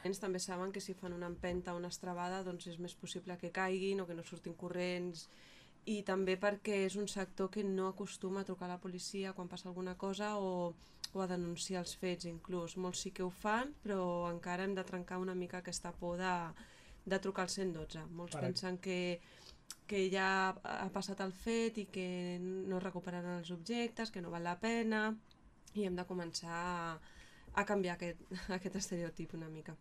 nens també saben que si fan una empenta o una estrabada doncs és més possible que caiguin o que no surtin corrents, i també perquè és un sector que no acostuma a trucar a la policia quan passa alguna cosa o a denunciar els fets inclús. Molts sí que ho fan, però encara hem de trencar una mica aquesta por de trucar al 112. Molts pensen que ja ha passat el fet i que no recuperaran els objectes, que no val la pena, i hem de començar a canviar aquest estereotip una mica.